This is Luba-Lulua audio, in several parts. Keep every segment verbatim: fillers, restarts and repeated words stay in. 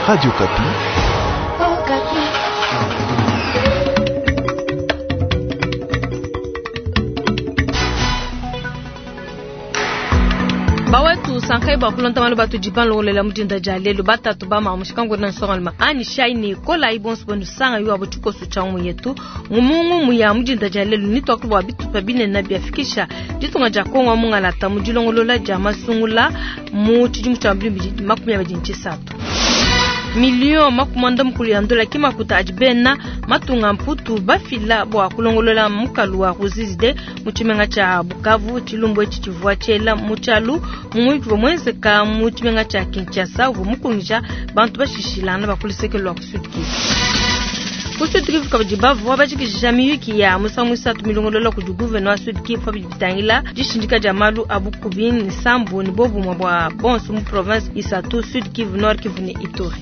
Radio Okapi. Bawetu sankai bakulonta malu batu jiban logolela mudinda dia lelu batatu ba mamushika ngona nsongaluma ani shai ne kola ibonso bonu sanga yo abo tshikoso tsha mu yetu ngumungu mu ya mudinda dia lelu ni toklo bwa bitupa binene biafikisha ditunga dia Kongo mungalata mu dilongolola dia masungula mu tshidimu tsha mbili makumi abidi ntshisatu million makumanda mukulu ya ndola kimakuta adi bena matunga mputu bafila bwa kulongolola mukalu wa Ruzizi mu tshimenga tsha Bukavu tshilumbu etshi tshivua tshiela mu tshialu mu muyuki uvua muenzeka mu tshimenga tsha Kinshasa uvua mukungija bantu bashishilana ba ku luseke lua ku Sud Kivu. Ku Sud Kivu kabidi bavua bajikijisha miyuki ya musangu isatu milongolola kudi gouverneur wa Sud Kivu pa bidi bitangila dishindika dia malu a bukubi ne sambu ne bobumue bua bonso mu province isatu Sud Kivu, Nord Kivu ne Ituri.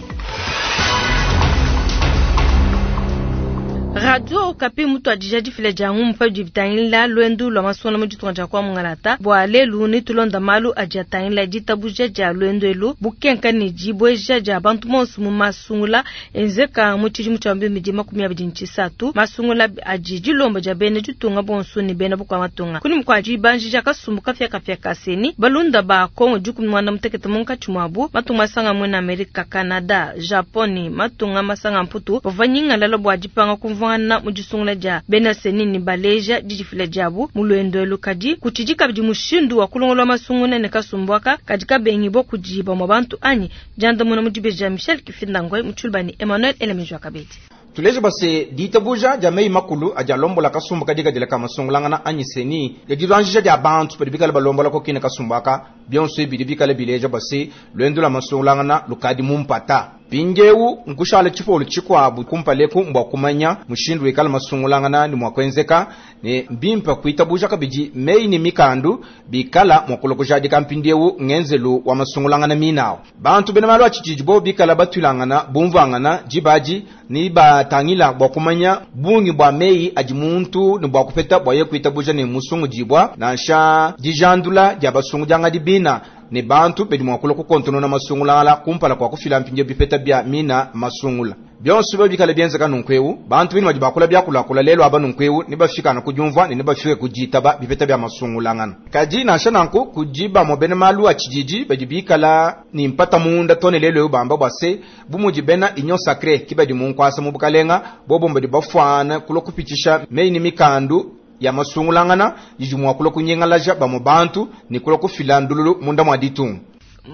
Radio Okapi mutu adija difila dia ngumu pa bidi bitangila lwendu lwa masungula mu ditunga dia kwa mungalata bua lelu ne tulonda malu adi atangila ditabuja dia lwendu elu bukenka ne dibweja dia bantu bonso mu masungula enzeka mu tshidimu tshia mbili makumi abidi ne tshisatu masungula adi dilomba dia bena ditunga bonso ne bena bukua matunga kuni mukua dibanjija kasumbu kafia kafia kaseni balunda ba Kongo dikumi muanda mutekete munkatshi muabu matunga masanga muena Amerika, Canada, Japon matunga masanga mputu bavua nyingalala bua dipanga kumvua na mudisungula dia bena seni ni baleja didifila diabu mu lwendo elu kadi kutshidi kabidi mushindu wa kulongolola masungula ne kasumbu aka kadi kabengi bua kudiba mwa bantu anyi diandamuna mu dibeji Michel Kifindangwe mu tshilubani Emmanuel Elemejwa kabedi. Tuleje base ditabuja dia meyi makulu adi alombola kasumbu kadikadila ka masungulangana anyi seni ya dibanjija dia bantu badi bikale balombola kokina kasumbu aka bionso bidi bikale bileja base lwendo lwa masungulangana lukadi mumpata mpindiewu nkushala tshipolu tshikuabu kumpaleku mbua kumanya mushindu wikala masungulangana ni mua kuenzeka ne mbimpa kuitabuja kabidi meyi ne mikandu bikala mua kulokojadika mpindiewu ngenzelu wa masungulangana minawo bantu bena malu a tshididi bo bikala batuilangana bumvuangana dibadi ni batangila bua kumanya bungi bua meyi adi muntu ne bua kupeta bua ye kuitabuja ne musungudibua nansha dijandula dia basungudiangadi bina ne bantu bedi mua kulua kukontonona masungulangala kumpala kua kufila mpindiewu bipeta bia mina masungula bionso bio bikala bienzeka nunkuewu bantu bini badi bakula biakulakula lelo aba nunkuewu ne bafikana kudiumvua ne ne bafike kuditaba bipeta bia masungulangana kadi nansha nanku kudi bamue bena malu a tshididi badi bikala ni mpata munda tone lelo ewu bamba bua se bu mudi bena union sacrée ki badi munkuasa mu bukalenga bobo badi bafuana kulua kupitshisha meyi ne mikandu ya masungulangana yidi mua kulua kunyingalaja bamue bantu ne kulua kufila ndululu munda mua ditunga.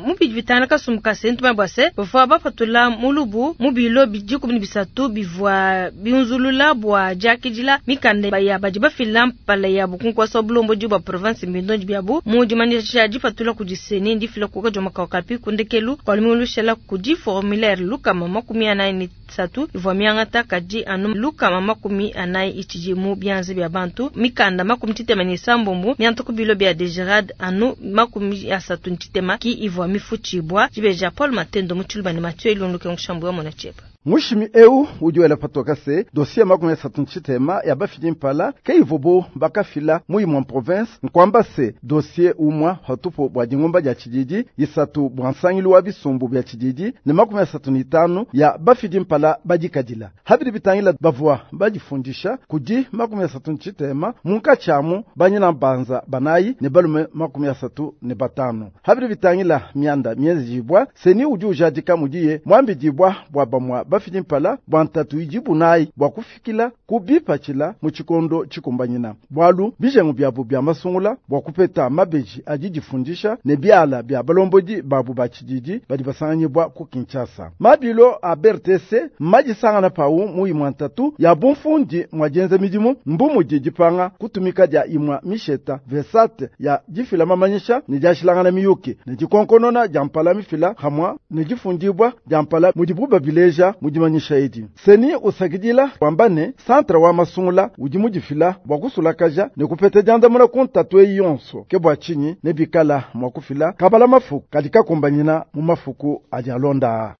Mubidi bitana kasumbu ka seni tumanya bua se bavua bapatula mulubu mu bilo dikumi ne bisatu bivua biunzulula bua diakidila mikanda ya badi bafila mpala yabu ku nkuasa wa bulombodi bua province mbindondi biabu mu dimanyisha dipatula kudi seni difila ku Radio Okapi ku ndekelu kua lumingu lushala kudi formulaire lukama makumi anayi ne isatu ivua miangata kadi anu lukama makumi anayi itshidi mu bianza bia bantu mikanda makumi tshitema ne isambombo mianta ku bilo bia DGRAD anu makumi asatu ne tshitema ki ivua mifutshibua dibeja Paul Matendo mu tshiluba ne Mathieu Ilunduke nkushambu wa mona tshieba. Mushimi eu udi wela patoka se dossier makumi asatu ntshitema ya bafidi mpala ke ivobo bakafila mu imue province nkwamba se dossier umwa hatupo bua dingumba dia tshididi isatu bua nsangilu wa bisumbu bia tshididi ne makumi asatu ne itanu ya bafidi mpala badikadila habidi bitangila bavua badifundisha kudi makumi asatu ntshitema munkatshi amu banyina mbanza banayi ne balume makumi asatu ne batanu habidi bitangila mianda mienzejibua seni udi ujadika mudiye mwambidibua bua bamua bafidi mpala bua ntatu idibu nayi bua kufikila kubipatshila mu tshikondo tshikumbanyina bualu bijengu biabu bia masungula bua kupeta mabeji adi difundisha ne biala bia balombodi babu ba tshididi badi basanganyibwa ku Kinshasa mabilo a B R T C madisangana pawu mu imua ntatu ya bumfundi mwa dienza midimu mbu mudi dipanga kutumika dia imua misheta vesate ya difila mamanyisha ne diashilangana miyuki ne dikonkonona dia mpala mifila hamwa ne difundibwa dia mpala mudibu babileja mudimanyisha edi seni usakidila wamba ne centre wa masungula udi mudifila bua kusulakaja ne kupeta diandamuna ku ntatu eyi yonso ke bua tshinyi ne bikala mua kufila kabala mafuku kadi kakumbanyina mu mafuku adi alonda.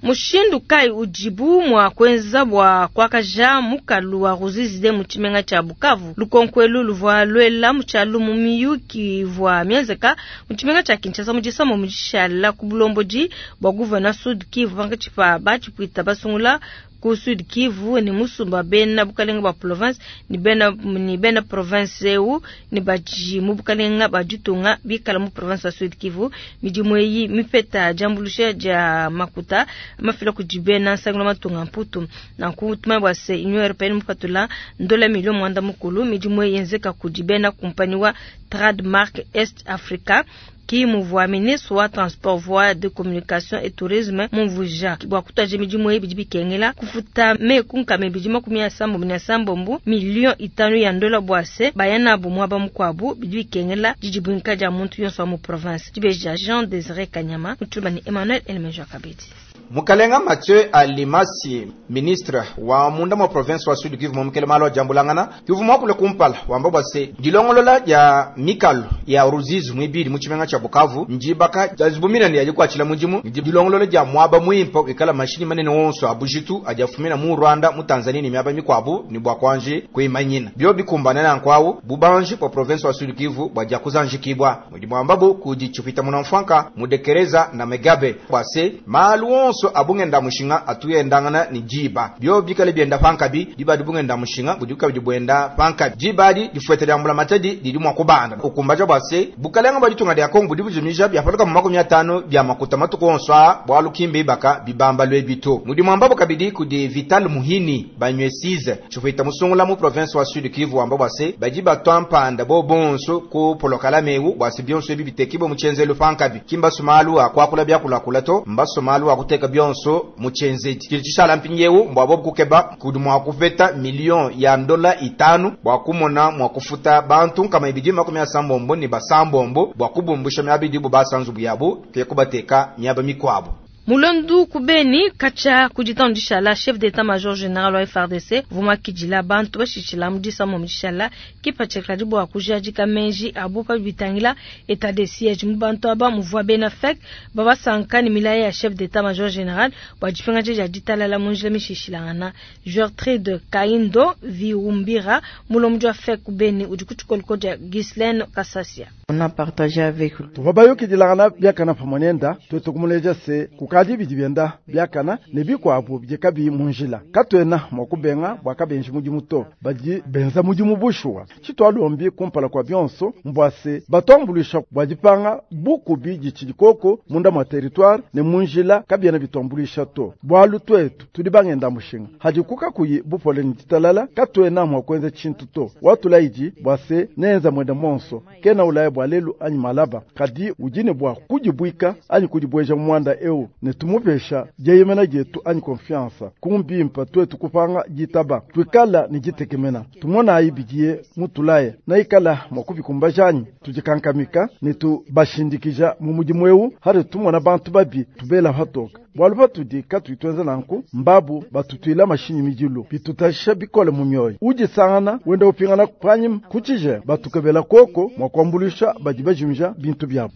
Mushindu kai udibu mua kuenza bua kuakaja mukalu wa Ruzizi mu tshimenga tshia Bukavu? Lukonko elu luvua luela mu tshialu mu miyuki ivua mienzeka mu tshimenga tshia Kinshasa mu disama mu dishala ku bulombodi bua gouverneur Sud Kivu pankatshi pa batshipuita basungula ku Sud Kivu ne musumba bena bukalenga ba province ni bena ni bena province eu ni baji mu bukalenga ba ditunga bikala mu province ya Sud Kivu. Midimu eyi mipeta diambuluisha dia makuta mafila kudi bena nsangilo matunga mputu. Nanku tumanye bua se Union Européenne mupatula ndola milio mwanda mukulu. Midimu eyi yenzeka kudi bena kumpani wa Trademark East Africa ki muvua ministre wa transport, voie de communication et tourisme mumvuja bua kutaja midimu eyi bidi bikengela kufuta meku nkama ibidi makumi asambombo ne asambombo million itanu ya ndola bua se baya nabu muaba mukuabu bidi bikengela didibwinka dia muntu yonso wa mu province. Dibeja Jean Désiré Kanyama mutuluma ni Emmanuel Elemenjo Kabedi. Mukalenga Mathieu Alimasi, ministre wa munda mwa province wa Sud Kivu momukele malo jambulangana Kivu mwakule kumpala wamba bwase dilongolola ya mikalu ya Ruzizi mwibili mu tshimenga tsha Bukavu njibaka jazibumina ni yajikwachila mudimu dilongolola dia mwaba mwimpa ikala mashini manene wonso abujitu ajafumina mu Rwanda mu Tanzania ni miaba mikwabu ni bwa kwanje kuimanyina byo bikumbana na nkwawu bubanji pa province wa Sud Kivu bwaja kuzanjikibwa mudimu ambabu kujichupita munamfanka mudekereza na megabe bwase malu wonso abungenda mushinga atuyendangana ni jiba byo bikale byenda pankabi diba dibungenda mushinga buduka bidibwenda pankabi jiba di difwete lyambula matadi didi mwa kubanda ukumbaja bwase bukalenga baditunga lya Kongo budibujimija byafaluka mu makumi atano bya makuta matuku onso bwalu kimbe baka bibamba lwe bito mudimu ambabo kabidi kudi Vital Muhini banywesize chufita musungula mu province wa Sud Kivu amba bwase bajiba twampanda bo bonso ku polokala mewu bwase byonso ebi bitekibo muchenzelo pankabi kimba sumalu akwakula byakulakula to mbasomalu akuteka byonso muchenzedi kili chishala mpinyewu mbwabo kukeba kudi mwa kufeta million ya ndola itanu bwa kumona mwa kufuta bantu kama ibidi makumi asambombo ni basambombo bwa kubumbusha myabidi bu basanzu buyabu kekubateka myaba mikwabo. Mulandu kubeni kacha kujitandisha la chef d'état-major général wa F R D C vuma kijila bantu bashichila mudisa momudishala kipache kladibo akujajika menji abupa bitangila état de siège mubantu aba muvwa bena fek baba sankani milaya ya chef d'état-major général bwa jipinga ja ditala la munjila mishishilangana Gertrude Kaindo Viumbira mulomjwa fek kubeni udikuchukolko ja Ghislaine Kasasia. On a partagé avec lui. Tuvabayo kijilangana byakana pamonenda twetukumuleja se kukaji bidi byenda byakana ne bikwabu byekabi munjila katwena mwakubenga bwakabenji mudimu to badi benza mudimu bushuwa chitwalombi kumpala kwa byonso mbwase batwambulisha bwadipanga bukubi dichidikoko munda mwa territoire ne munjila kabyena bitwambulisha to bwalu twetu tudi bangenda mushinga hadikuka kuyi bupole ntitalala katwena mwakwenza chintu to watulaiji bwase nenza mwenda monso kena ulaya bwalelu anyi malaba kadi ujine bwa kujibwika anyi kujibweja mwanda eu ne tumupesha jeyemena jetu anyi confiance kumbimpa twetu kupanga jitaba twikala ni jitekemena tumona ayibigiye mutulaye na ikala mwakubikumbajanyi tujikankamika ne tubashindikija mu mudimu eu hari tumona bantu babi tubela hatoka bwalu batudi katwitwenza nanku mbabu batutwila mashinyi mijilu bitutasha bikole mu myoyo ujisangana wenda upingana panyim kuchije batukebela koko mwakwambulisha bajibajimja bintu byabo.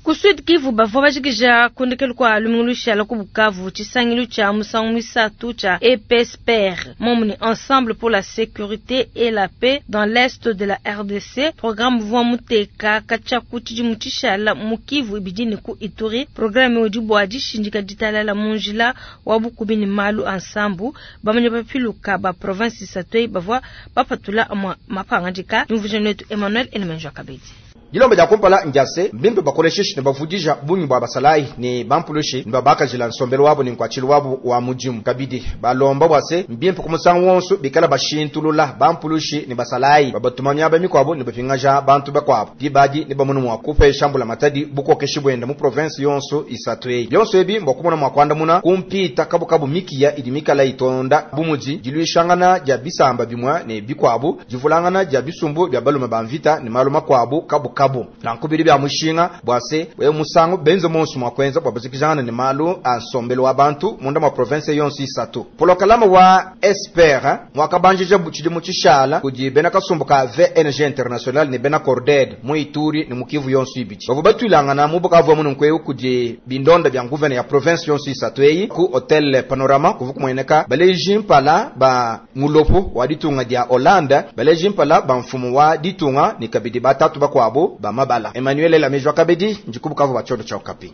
Ku Sud Kivu bavua bajikija kundekelu kwa lumingu la ku Bukavu tshisangilu tshia musangu misatu tshia E P S P R momuni Ensemble pour la sécurité et la paix dans l'est de la R D C programme vua muteka katshia ku tshidimu tshishala mu Kivu ibidini ku Ituri programme udi bua dishindika ditalala mu njila wa bukubi ni malu ansambu bamanya bapiluka ba province isatu eyi bavua bapatula amua mapangadika Mvujeni wetu Emmanuel Elemenjo Kabedi. Dilombe dia kumpala njase mbimpe bakolesheshi ne bavudija bungi bwa basalayi ne bampulushi ne babakajila nsombelo wabo ne nkuatshilu wabo wa mudimu kabidi balomba bwase mbimpe ku musangu wonso bikala bashintulula bampulushi ne basalayi babatuma miaba mikwabo ne bapingaja bantu bakwabo dibadi ne bamunu mwa kupesha mbula matadi bukokeshi bwenda mu province yonso isatu eyi byonso ebi mbwa kumona mwa kwandamuna kumpita kabukabu mikiya idi mikala itonda bumudi dilwishangana dia bisamba bimwa ne bikwabo divulangana dia bisumbu bya balume ba mvita ne malu makwabo kabukabu. kabu. Nanku bidi bia mushinga bua se we musangu benze monso mua kuenza bua bazikijangana ne malu a nsombelu wa bantu munda mwa province yonso isatu. Polokalama wa Esper mwakabanjija tshidimu tshishala kudi bena kasumbu ka V N G International ne bena Corded mu Ituri ne mu Kivu yonso ibidi. Bavua batwilangana mu Bukavu mu nkweu kudi bindonda bya gouverneur ya province yonso isatu eyi ku Hotel Panorama kuvu kumueneka baleji mpala ba mulopo wa ditunga dia Hollande, baleji mpala ba mfumu wa ditunga ne kabidi batatu bakuabu ba mabala. Emmanuel Lamejwa kabidi njikubukavu ba chodo cha Okapi.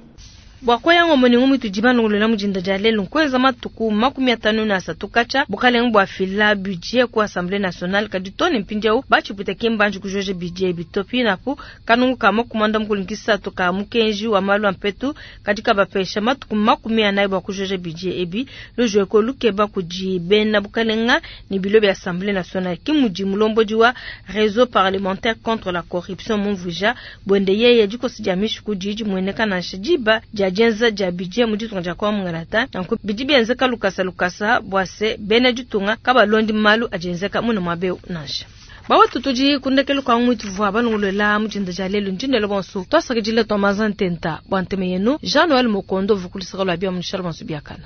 Bua koyanga omoni ngumi tudi mujinda dia lelu nkweza matuku makumi atanu na asatu kacha bukalenge bua fila budget ku assemblée nationale kadi tone mpindieu batshiputa kimbanji kujoje budget bitopi napu kanungu ka makumanda mukulu nkisatu ka mukenji wa malu a mpetu kadi kabapesha matuku makumi anayi bua kujoje budget ebi lujweko lukeba kudi bena bukalenga ni bilo bya assemblée nationale kimudi mulombodi wa réseau parlementaire contre la corruption mumvuja bwende yeye dikosi dia mishiku didi mueneka nansha diba dia dienza dia budget mu ditunga dia kwa mungalata nanku bidi bienzeka lukasa lukasa bua se bena ditunga kabalondi malu adienzeka muna mwabeu nansha bawetu tudi kundekelu kwa ngwitu vua balongolola mujinda dia lelu ndindelo bonso twasakidile twamaza ntenta bua nteme yenu Jean Noel Mokondo vukulisaka lwa bia munishala bonso biakana.